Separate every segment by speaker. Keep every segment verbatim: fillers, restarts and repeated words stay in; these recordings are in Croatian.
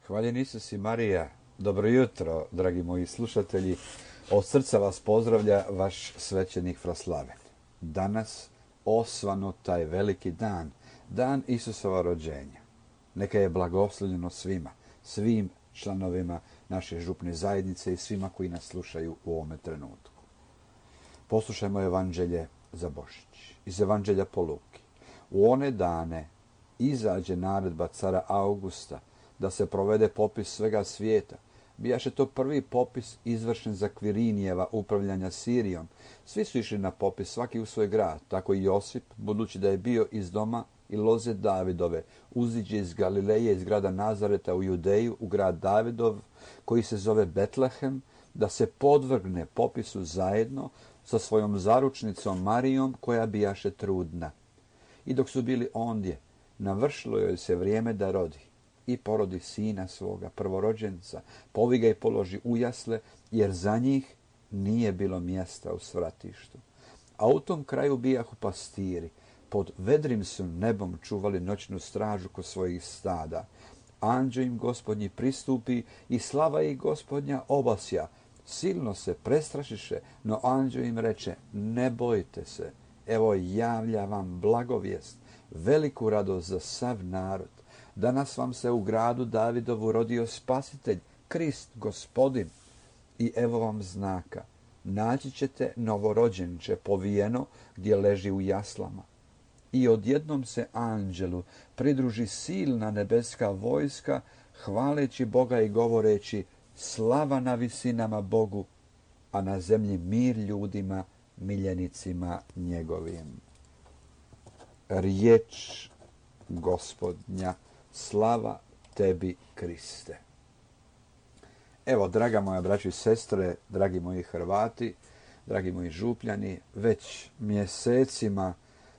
Speaker 1: Hvaljen Isus i Marija. Dobro jutro, dragi moji slušatelji. Od srca vas pozdravlja vaš svećenik Fraslaven. Danas osvano taj veliki dan, dan Isusova rođenja. Neka je blagoslovljeno svima, svim članovima naše župne zajednice i svima koji nas slušaju u ovome trenutku. Poslušajmo evanđelje za Božić. Iz evanđelja po Luki. U one dane izađe naredba cara Augusta da se provede popis svega svijeta. Bijaše to prvi popis izvršen za Kvirinijeva upravljanja Sirijom. Svi su išli na popis, svaki u svoj grad. Tako i Josip, budući da je bio iz doma i loze Davidove, uziđe iz Galileje, iz grada Nazareta u Judeju, u grad Davidov, koji se zove Betlehem, da se podvrgne popisu zajedno sa svojom zaručnicom Marijom, koja bijaše trudna. I dok su bili ondje, navršilo joj se vrijeme da rodi. I porodi sina svoga, prvorođenca, povi ga i položi u jasle, jer za njih nije bilo mjesta u svratištu. A u tom kraju bijahu pastiri, pod vedrim su nebom čuvali noćnu stražu kod svojih stada. Anđeo im Gospodnji pristupi i slava ih Gospodnja obasja. Silno se prestrašiše, no anđeo im reče, ne bojte se, evo javlja vam blagovijest, veliku radost za sav narod. Danas vam se u gradu Davidovu rodio spasitelj, Krist, Gospodin. I evo vam znaka. Naći ćete novorođenče povijeno gdje leži u jaslama. I odjednom se anđelu pridruži silna nebeska vojska, hvaleći Boga i govoreći slava na visinama Bogu, a na zemlji mir ljudima, miljenicima njegovim. Riječ Gospodnja. Slava tebi, Kriste. Evo, draga moja braćo i sestre, dragi moji Hrvati, dragi moji župljani, već mjesecima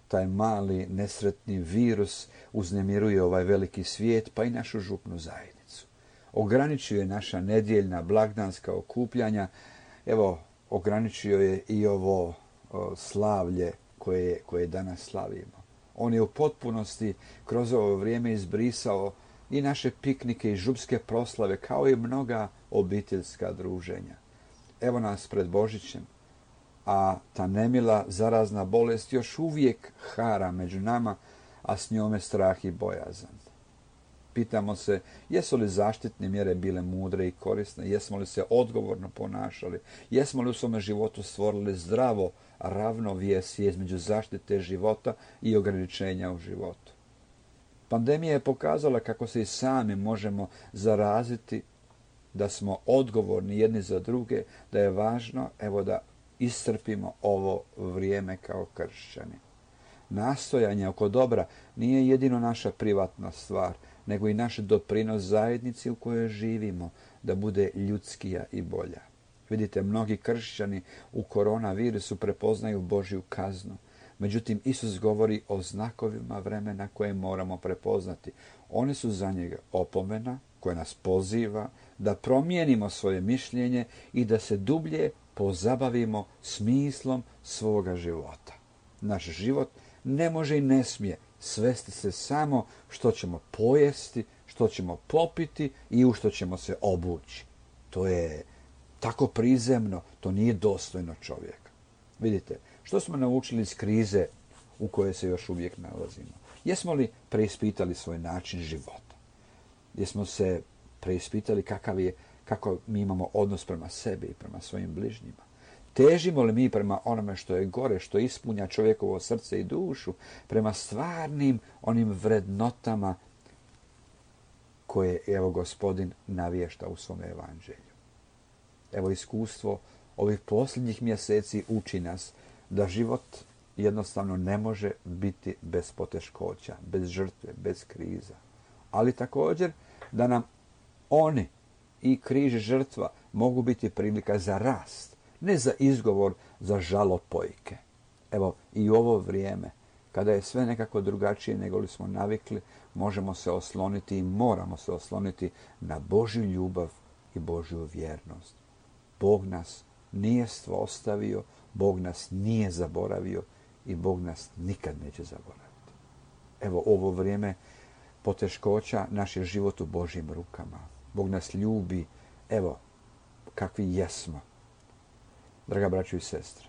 Speaker 1: taj mali nesretni virus uznemiruje ovaj veliki svijet, pa i našu župnu zajednicu. Ograničio je naša nedjeljna blagdanska okupljanja, evo, ograničio je i ovo o, slavlje koje, koje danas slavimo. On je u potpunosti kroz ovo vrijeme izbrisao i naše piknike i župske proslave, kao i mnoga obiteljska druženja. Evo nas pred Božićem, a ta nemila zarazna bolest još uvijek hara među nama, a s njome strah i bojazan. Pitamo se, jesu li zaštitne mjere bile mudre i korisne, jesmo li se odgovorno ponašali, jesmo li u svome životu stvorili zdravo ravnovjesje između zaštite života i ograničenja u životu. Pandemija je pokazala kako se i sami možemo zaraziti, da smo odgovorni jedni za druge, da je važno evo da iscrpimo ovo vrijeme kao kršćani. Nastojanje oko dobra nije jedino naša privatna stvar, nego i naš doprinos zajednici u kojoj živimo, da bude ljudskija i bolja. Vidite, mnogi kršćani u koronavirusu prepoznaju Božju kaznu. Međutim, Isus govori o znakovima vremena koje moramo prepoznati. Oni su za njega opomena koja nas poziva da promijenimo svoje mišljenje i da se dublje pozabavimo smislom svoga života. Naš život ne može i ne smije svesti se samo što ćemo pojesti, što ćemo popiti i u što ćemo se obući. To je tako prizemno, to nije dostojno čovjeka. Vidite, što smo naučili iz krize u kojoj se još uvijek nalazimo? Jesmo li preispitali svoj način života? Jesmo se preispitali kakav je, kako mi imamo odnos prema sebi i prema svojim bližnjima? Težimo li mi prema onome što je gore, što ispunja čovjekovo srce i dušu, prema stvarnim onim vrednotama koje evo Gospodin navješta u svome evanđelju? Evo, iskustvo ovih posljednjih mjeseci uči nas da život jednostavno ne može biti bez poteškoća, bez žrtve, bez kriza. Ali također da nam oni i križ žrtva mogu biti prilika za rast, ne za izgovor za žalopojke. Evo, i u ovo vrijeme, kada je sve nekako drugačije nego li smo navikli, možemo se osloniti i moramo se osloniti na Božju ljubav i Božju vjernost. Bog nas nije ostavio, Bog nas nije zaboravio i Bog nas nikad neće zaboraviti. Evo, ovo vrijeme poteškoća naš je život u Božjim rukama. Bog nas ljubi, evo, kakvi jesmo. Draga braćo i sestre,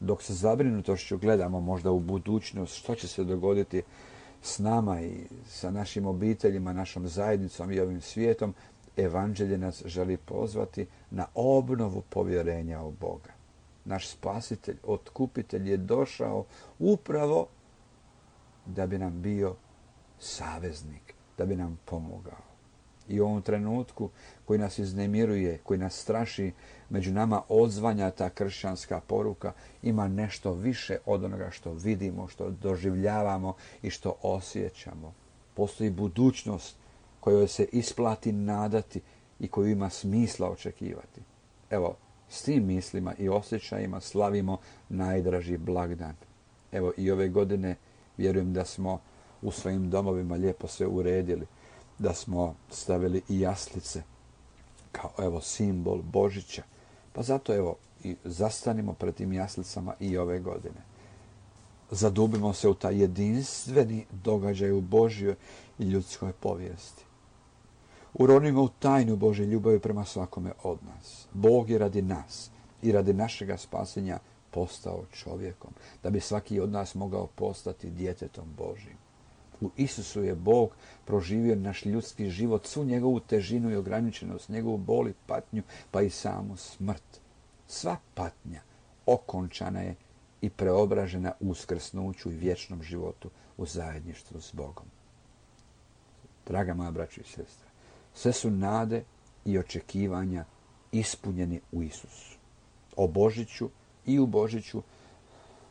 Speaker 1: dok se zabrinutošću gledamo možda u budućnost, što će se dogoditi s nama i sa našim obiteljima, našom zajednicom i ovim svijetom, evanđelje nas želi pozvati na obnovu povjerenja u Boga. Naš spasitelj, otkupitelj je došao upravo da bi nam bio saveznik, da bi nam pomogao. I u ovom trenutku koji nas iznemiruje, koji nas straši, među nama odzvanja ta kršćanska poruka, ima nešto više od onoga što vidimo, što doživljavamo i što osjećamo. Postoji budućnost kojoj se isplati nadati i koju ima smisla očekivati. Evo, s tim mislima i osjećajima slavimo najdraži blagdan. Evo, i ove godine vjerujem da smo u svojim domovima lijepo sve uredili, da smo stavili i jaslice kao evo simbol Božića. Pa zato evo i zastanimo pred tim jaslicama i ove godine. Zadubimo se u taj jedinstveni događaj u Božjoj i ljudskoj povijesti. Uronimo u tajnu Božje ljubavi prema svakome od nas. Bog je radi nas i radi našega spasenja postao čovjekom, da bi svaki od nas mogao postati djetetom Božjim. U Isusu je Bog proživio naš ljudski život, svu njegovu težinu i ograničenost, njegovu bol i patnju, pa i samu smrt. Sva patnja okončana je i preobražena u uskrsnuću i vječnom životu u zajedništvu s Bogom. Draga moja braćo i sestre, sve su nade i očekivanja ispunjeni u Isusu. O Božiću i u Božiću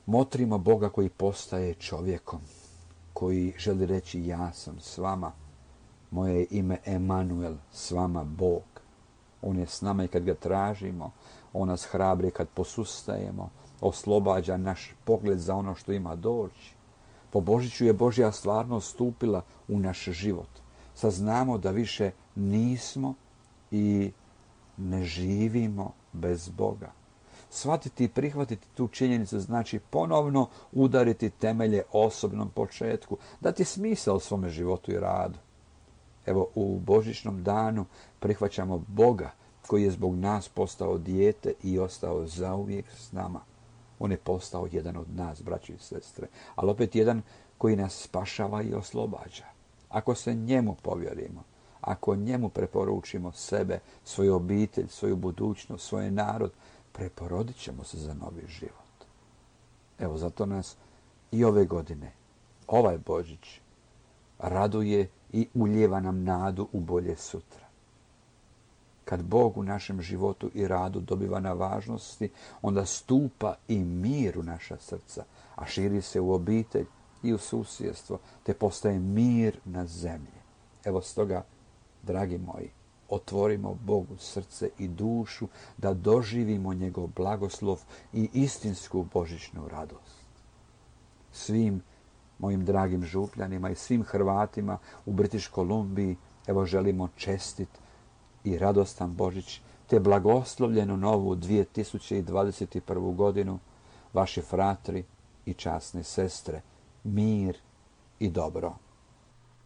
Speaker 1: motrimo Boga koji postaje čovjekom, koji želi reći ja sam s vama. Moje je ime Emanuel, s vama Bog. On je s nama i kad ga tražimo, on nas hrabri kad posustajemo, oslobađa naš pogled za ono što ima doći. Po Božiću je Božja stvarnost stupila u naš život. Saznamo da više nismo i ne živimo bez Boga. Shvatiti i prihvatiti tu činjenicu znači ponovno udariti temelje osobnom početku, dati smisao svome životu i radu. Evo, u božićnom danu prihvaćamo Boga koji je zbog nas postao dijete i ostao zauvijek s nama. On je postao jedan od nas, braći i sestre, ali opet jedan koji nas spašava i oslobađa. Ako se njemu povjerimo, ako njemu preporučimo sebe, svoju obitelj, svoju budućnost, svoj narod, preporodit ćemo se za novi život. Evo, zato nas i ove godine, ovaj Božić, raduje i ulijeva nam nadu u bolje sutra. Kad Bog u našem životu i radu dobiva na važnosti, onda stupa i mir u naša srca, a širi se u obitelj i u susjedstvo, te postaje mir na zemlji. Evo stoga, dragi moji, otvorimo Bogu srce i dušu da doživimo njegov blagoslov i istinsku božićnu radost. Svim mojim dragim župljanima i svim Hrvatima u British Kolumbiji evo želimo čestit i radostan Božić te blagoslovljenu novu dvije tisuće dvadeset prvu godinu, vaši fratri i časne sestre, mir i dobro.